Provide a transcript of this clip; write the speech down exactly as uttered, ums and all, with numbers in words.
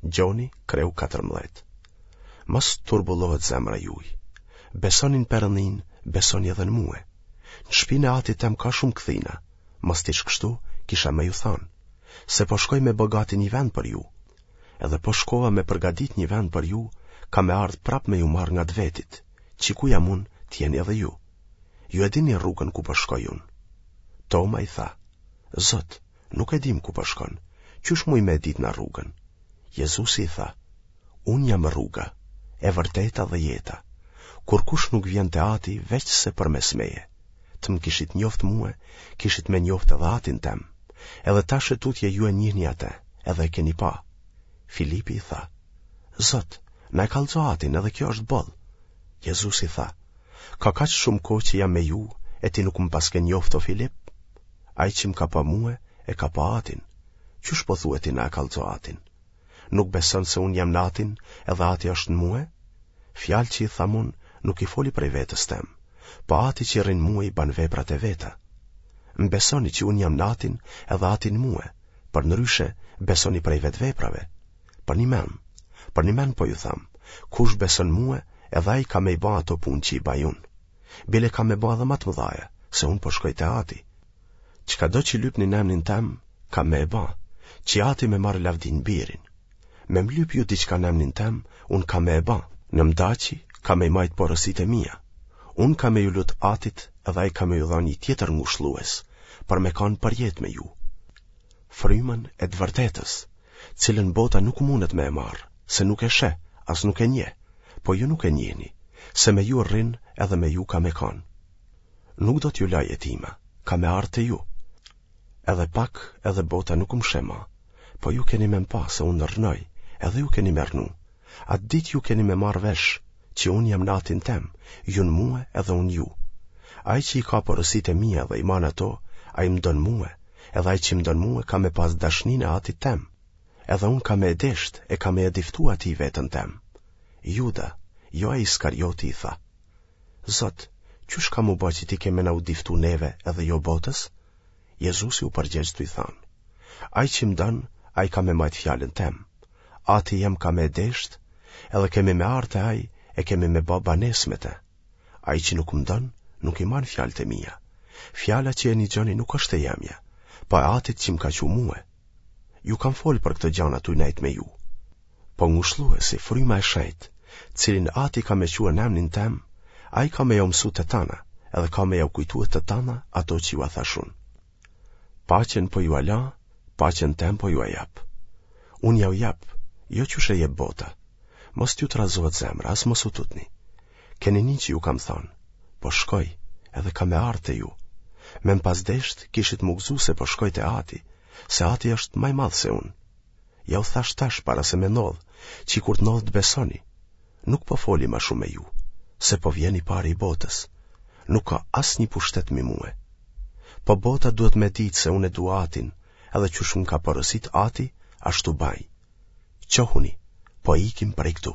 Gjoni, kreu katërmbëdhjetë. Mos turbullohet zemra juj. Besoni në Perëndinë, besoni edhe në mue. Në shpinë e atit tem ka shumë kthina, mos t'ish kështu, kisha me ju thanë, se po shkoj me bë gati një vend për ju. Edhe po shkova me përgadit një vend për ju, kam me ardhë prapë me ju marrë ngat vetit, qi ku jam unë, të jeni edhe ju. Ju e dini rrugën ku po shkoj unë. Toma i tha, Zot, nuk e dimë ku po shkon, qysh mujmë me e ditë na rrugën? Jezusi i tha, Unë jam rruga, e vërteta dhe jeta. Kurkush nuk vjen te Ati veçse përmes meje. Të më kishit njoft mue, kishit me njoft edhe Atin tem. Edhe tash e tutje ju e njihni atë, edhe e keni pa. Filipi i tha, Zot, na e kallxo Atin edhe kjo është boll. Jezusi tha, Ka kaq shumë kohë që jam me ju e ti nuk më paske njoft o Filip? Ai që më ka pa mue, e ka pa Atin. Qysh po thue ti na e kallxo Atin? Nuk beson se unë jam në Atin edhe Ati është në mue? Fjalët që i tham unë nuk i foli prej vetes tem, po Ati që rrin n'mue i ban veprat e veta. Më besoni që unë jam në Atin edhe Ati në mue, përndryshe besoni prej vetë veprave. Përnjëmend, përnjëmend po ju tham, kush beson mue, edhe ai ka me i ba ato punë që i baj unë. Bile ka me ba edhe ma të mëdhaja, se unë po shkoj te Ati. Çkado që lypni në emnin tem, kam me e ba, që Ati me marrë lavdi në Birin. Me më lyp ju diçka në emnin tem, unë kam me e ba. Në m'daqi, ka me i majtë porositë e mia. Unë kam me ju lut Atit edhe ai ka me ju dhanë një tjetër ngushllues, për me kanë përjetë me ju. Frymën e të vërtetës, cilën bota nuk mundet me e marrë, se nuk e sheh, as nuk e njeh, po ju nuk e njihni, se me ju rrin edhe me ju ka me kanë. Nuk do t'ju laj jetima, kam me ardhë te ju. Edhe pak edhe bota nuk më sheh ma, po ju keni me m'pa se unë rrnoj, edhe ju keni me rrnu. Atë ditë ju keni me marrë vesh, që unë jam në Atin tem, ju në mue edhe unë ju. Ai që i ka porositë e mia dhe i man ato, ai më don mue, edhe ai që më don mue ka me pas dashninë e Atit tem. Edhe unë kam me e desht e kam me ia diftu atij veten tem. Juda, jo ai Iskarioti i tha, Zot, qysh ka m'u ba që ti ke me na u diftu neve edhe jo botës? Jezusi u përgjegj tuj thanë, Ai që më don, ai ka me majtë fjalën tem. Ati jem ka me e desht, edhe kemi me ardhë te ai e kemi me ba banesë me te. Ai që nuk më don, nuk i man fjalët e mia. Fjala që e nigjoni nuk është e jemja, po e Atit që më ka çu mue. Ju kam folë për këto gjana tuj nejtë me ju. Po Ngushlluesi, Fryma e Shenjtë, cilin Ati ka me çue n'emnin tem, ai ka me jau mësu të tana, edhe ka me jau kujtue të tana ato që jua thash unë. Paqen po jua la, paqen tem po jua jap. Unë jau jap, jo qysh e jep bota. Mos t'ju trazohet zemra, as mos u tutni. Keni ni që ju kam thanë, po shkoj, edhe kam me ardhë te ju. Me më pas desht, kishit m'u gëzu se po shkoj te Ati, se Ati është ma i madh se unë. Jau thash tash para se me ndodhë, qi kur të ndodhë të besoni. Nuk po foli ma shumë me ju, se po vjen i pari i botës. Nuk ka asnjë pushtet mi mue. Po bota duhet me ditë se unë e du Atin, edhe qysh më ka porosit Ati, ashtu baj. Çohuni, po ikim prej këtu.